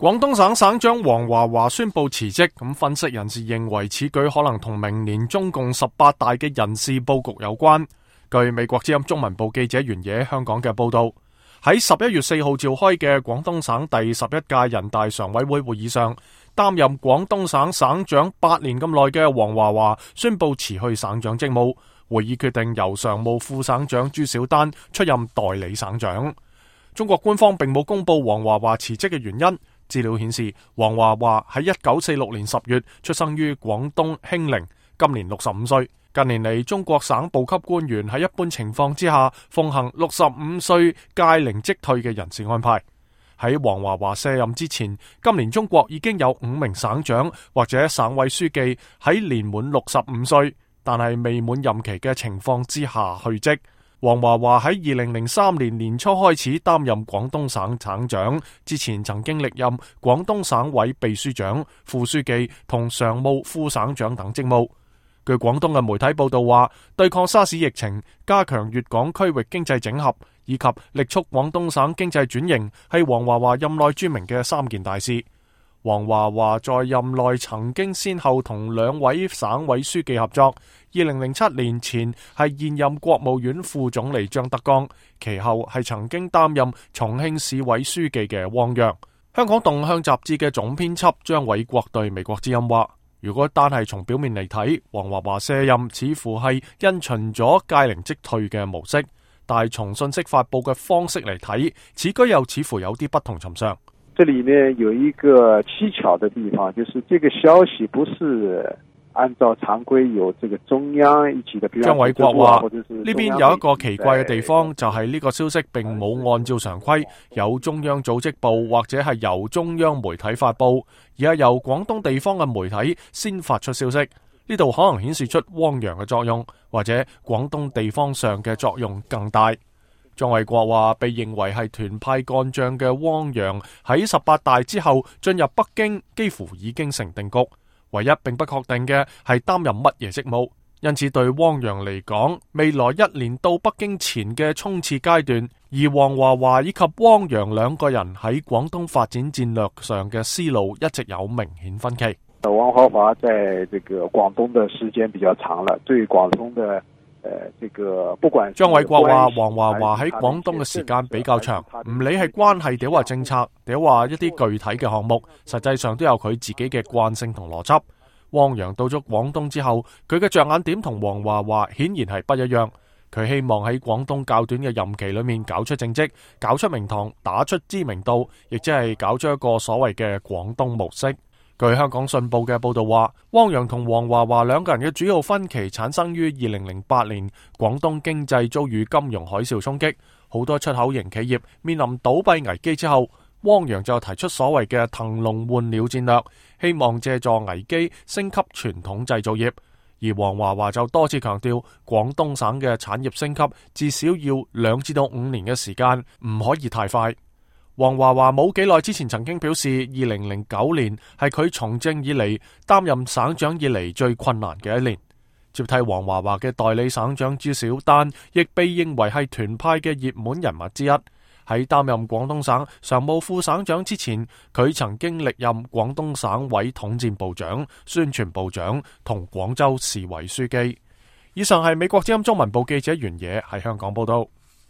廣東省省長黃華華宣布辭職，咁分析人士認為此舉可能同明年中共18大嘅人事佈局有關。據美國之音中文部記者原野香港嘅報道，喺11月4號召開嘅廣東省第11屆人大常委會會議上，擔任廣東省省長8年咁耐嘅黃華華宣布辭去省長職務，會議決定由常務副省長朱小丹出任代理省長。中國官方並冇公布黃華華辭職嘅原因。資料顯示，黃華華喺1946年10月出生於廣東興寧，今年65歲。近年嚟，中國省部級官員喺一般情況之下奉行65歲屆齡即退嘅人事安排。喺黃華華卸任之前，今年中國已經有5名省長或者省委書記喺年滿65歲，但係未滿任期嘅情況之下去職。黃華華喺2003年年初開始擔任廣東省省長，之前曾經歷任廣東省委秘書長、副書記同常務副省長等職務。據廣東嘅媒體報道話，對抗沙士疫情、加強粵港區域經濟整合以及力促廣東省經濟轉型，係黃華華任內著名嘅3件大事。黃華華在任內曾經先後同2位省委書記合作。2007年前係現任國務院副總理張德江，其後係曾經擔任重慶市委書記嘅汪洋。香港動向雜誌嘅總編輯張偉國對美國之音話，如果單係從表面嚟睇，黃華華卸任似乎係因循咗屆齡即退嘅模式，但係從信息發佈嘅方式嚟睇，此舉又似乎有啲不同尋常。這裏面有一個蹊蹺的地方，就是這個消息不是按照常規有這個中央一起的。張偉國話呢邊有一個奇怪嘅地方，就係呢個消息並冇按照常規有中央組織部或者係由中央媒體發佈，而係由廣東地方嘅媒體先發出消息。呢度可能顯示出汪洋嘅作用，或者廣東地方上嘅作用更大。張偉國話，被認為係團派幹將嘅汪洋喺18大之後進入北京幾乎已經成定局，唯一並不確定嘅係擔任乜嘢職務。因此對汪洋嚟講，未來1年到北京前嘅衝刺階段，而黃華華以及汪洋兩個人喺廣東發展戰略上嘅思路一直有明顯分歧。黃華華在這個廣東的時間比較長了，對廣東的不管張偉國話，黃華華喺廣東嘅時間比較長，唔理係關係定話政策，定話一啲具體嘅項目，實際上都有佢自己嘅慣性同邏輯。汪洋到咗廣東之後，佢嘅着眼點同黃華華顯然係不一樣。佢希望喺廣東較短嘅任期裏面搞出政績，搞出名堂，打出知名度，亦即係搞出一個所謂嘅廣東模式。據香港信報嘅報道話，汪洋同黃華華兩個人嘅主要分歧產生於2008年，廣東經濟遭遇金融海嘯衝擊，好多出口型企業面臨倒閉危機之後，汪洋就提出所謂嘅騰籠換鳥戰略，希望借助危機升級傳統製造業。而黃華華就多次強調，廣東省嘅產業升級至少要2至到5年嘅時間，唔可以太快。黃華華冇幾耐之前曾經表示，2009年係佢從政以嚟擔任省長以嚟最困難嘅一年。接替黃華華嘅代理省長朱小丹，亦被認為係團派嘅熱門人物之一。喺擔任廣東省常務副省長之前，佢曾經歷任廣東省委統戰部長、宣傳部長同廣州市委書記。以上係美國之音中文部記者袁野喺香港報道。